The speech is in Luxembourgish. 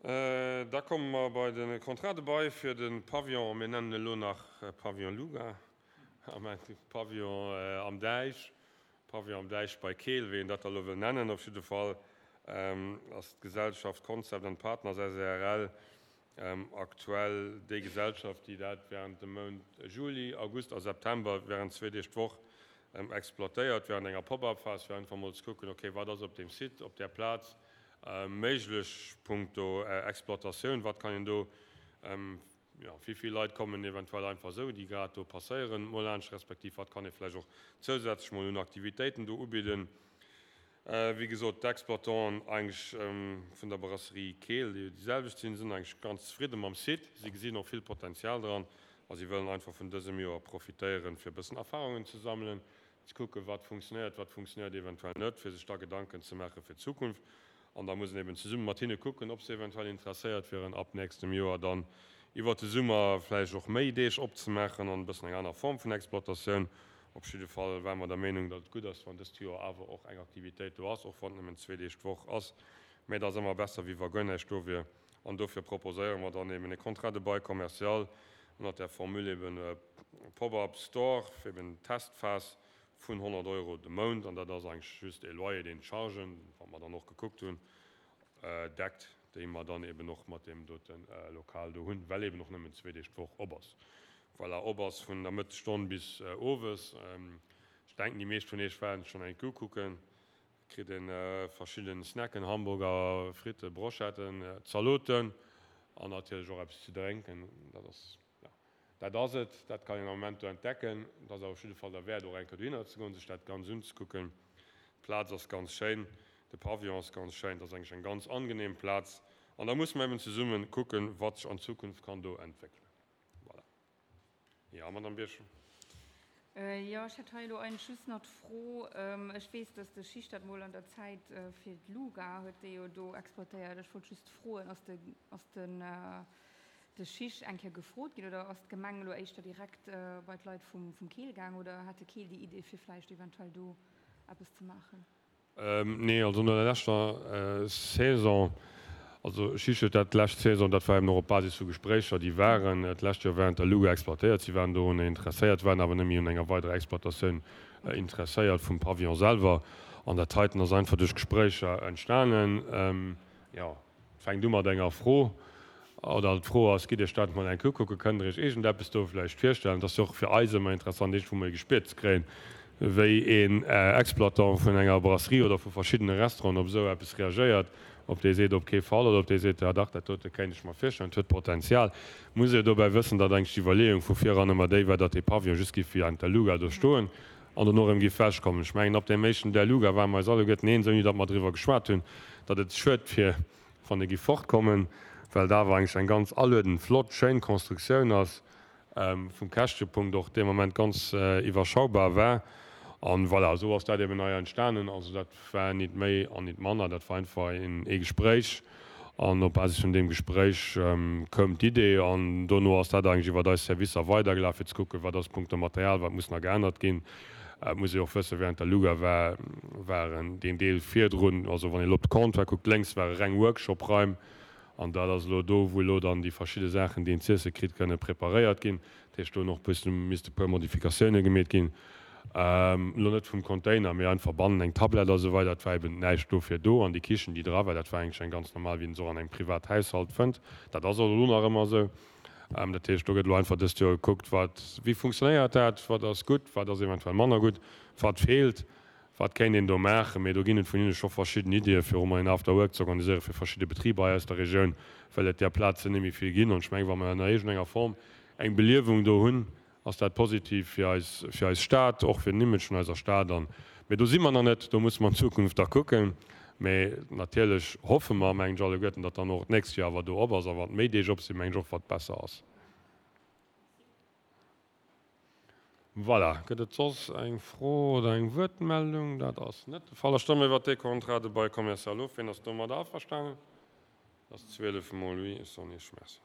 Da komme mer bei de Contrat de bail fir de Pavillon, mir nennen e lo nach Pavillon Luga, Pavillon am Däich, Pavillon am Däich bei Keel, wéi een dat da lo wëll nennen. Op jidde Fall ass d'Gesellschaft Concept and Partners SARL aktuell déi Gesellschaft, déi dat während dem Mount Juli, August a September während zwee Deeg d'Woch exploitéiert, während enger Pop-up-Phas, fir einfach mol ze kucken, okay, wat ass op deem Site, op där Plaz méiglech punkto Exploitatioun, wat kann een do, jo, wéi vill Leit kommen eventuell einfach esou, déi grad do passéieren, mol laanscht, respektiv wat kann ee vläicht och zousätzlech mol un Aktivitéiten do ubidden. Wéi gesot, d'Exploitanten eigentlech vun der Brasserie Keel, déi déi selwecht sinn, sinn eigentlech ganz zefridde mam Site. Si gesinn och vill Potenzial dran a si wëllen einfach vun dësem Joer profitéieren, fir e bëssen Erfarungen ze sammelen, ze kucken, wat funktionéiert, wat funktionéiert eventuell net, fir sech da Gedanken ze maache fir d'Zukunft. An da muss een eben zesumme mat hinne kucken, ob se eventuell interesséiert wieren, ab nächstem Joer dann iwwert de Summer vläicht och méi Deeg opzemaachen an e bëssen eng aner Form vun Exploitatioun. Op jidde Fall ware mer der Meenung, datt et gutt ass, wann dëst Joer awer och eng Aktivitéit do ass, och wann et nëmmen zwee Deeg d'Woch ass. Mä et ass ëmmer besser, wéi wa guer näischt do wier. An dofir proposéiere mer dann eben e Contrat de bail commercial ënnert der Formule eben Pop-up Store, eben Testphas vun 100 Euro de Mount. An dat ass eigentlech just e Loyer, deen d'Chargen, wat mer dann och gekuckt hunn, deckt, déi mer dann eben och mat deem dote Lokal do hunn, well eben och nëmmen zwee Deeg d'Woch op ass. Voilà, op ass vun der Mëttesstonn bis owes. Ech denken, déi meescht vun Iech waren schonn eng Kéier ukucken. Kritt een verschidden Snacken, Hamburger, Fritte, Brochetten, Zaloten an natierlech och eppes ze drénken. Dat ass, jo, dat ass et. Dat kann een am Moment do entdecken. Et ass awer op jidde Fall derwäert, och eng Kéier dohinner ze goen, sech dat ganz unzekucken. D'Plaz ass ganz schéin, de Pavillon ass ganz schéin. Et ass eigentlech eng ganz angenehm Plaz. An da musse mer eben zesummen kucken, wat sech an Zukunft kann do entwéckelen. Voilà. Jo, Madamm Birchen. Jo, ech hätt hei elo eigentlech just nach d'Fro, ech weess, dass de Schicht dat mol an der Zäit fir d'Luga huet déi jo do exploitéiert. Ech wollt just froen, ass de, ass den, de Schicht eng Kéier gefrot ginn oder ass d'Gemeng elo éischter direkt bei d'Leit vum, vum Keel gaang oder hat de Keel déi Idee fir vläicht eventuell do eppes ze maachen? Nee, also no der leschter Saison, also Schicht huet dat d'lescht Saison, dat war eben och op Basis vu Gespréicher, déi waren d'lescht Joer während der Luga exploitéiert, si waren dorunner interesséiert, waren awer net méi un enger weiderer Exploitatioun interesséiert vum Pavillon selwer. An dat heiten ass einfach duerch Gespréicher entstanen. Jo. Et fänkt u mat enger Fro, oder d'Fro ass, Gitt Iech dat emol eng Kéier ukucken, kënnt Der Iech iergendeppes do vläicht virstellen? Et ass jo och fir eis ëmmer interessant, iergendwou mol e Gespier ze kréien, wéi een Exploitant vun enger Brasserie oder vu verschiddene Restauranten op esou eppes reagéiert, ob dee seet, op kee Fall, oder ob dee seet, ja dach, dat dote kéint ech mer virstellen, et huet Potenzial. Muss ee jo dobäi wëssen, datt eigentlech d'Iwwerleeung vu viran ëmmer déi war, datt dee Pavillon just géif wéi eng Luga do stoen an dono erëm géif wechkommen. Ech mengen, ab deem éischten Der Luga ware mer eis alleguerten eens, ouni datt mer driwwer geschwat hunn, datt et schued wier, wann e géif fortkommen, well et awer eigentlech eng ganz aluedend, flott, schéin Constructioun ass, vum Käschtepunkt och dee Moment ganz iwwerschaubar war. An voilà, esou ass dat eben hei entstanen. Also dat war nit méi an nit manner, dat war einfach ee Gespréich an op Basis vun deem Gespréich koum d'Idee an dono ass dat eigentlech iwwert eis Servicer weidergelaf, fir ze kucken, wat ass punkto Material, wat muss nach geännert ginn. Et muss ee och wëssen, während der Luga war, waren deen Deel virdrun, also wann ee elo op de Comptoir kuckt, lénks ware reng Workshop-Raim an dat ass elo do, wou elo dann déi verschidde Saachen, déi een z'iesse kritt, kënne preparéiert ginn. Dat heescht, do hunn och e bëssen, misste e puer Modifikatioune gemeet ginn, elo net vum Container, mee einfach bannen eng Tablett a sou weider. Et war eben näischt dofir do an déi Kichen, déi dra war, dat war eigentlech eng ganz normal, wéi een se och an engem Privathaushalt fënnt. Dat ass och elo nach ëmmer esou. Dat heescht, do gëtt elo einfach dëst Joer gekuckt, wat, wéi funktionéiert dat, wat ass gutt, wat ass eventuell manner gutt, wat feelt, wat kéint een do maachen. Mee do ginn et vun hinne scho verschidden Iddie fir och mol een After Work ze organiséieren fir verschidde Betriber hei aus der Regioun, well et där Plazen net méi vill ginn. An ech mengen, wa mer an iergendenger Form eng Beliewung do hunn, ass dat positiv fir eis, fir eis Stad, och fir den Image vun eiser Stad. An, mee do si mer nach net, do musse mer an Zukunft da kucken. Mee natierlech hoffe mer, mengen ech, alleguerten, datt dann och d'nächst Joer awer do op ass. A wann méi Deeg op sinn, mengen ech och, wat besser ass. Voilà. Gëtt et soss eng Fro oder eng Wuertmeldung? Dat ass net de Fall. Da stëmme mer iwwert dee Contrat de bail commercial of. Wien ass domadder averstanen? Dat ass 12 mol oui. Ech soen Iech Merci.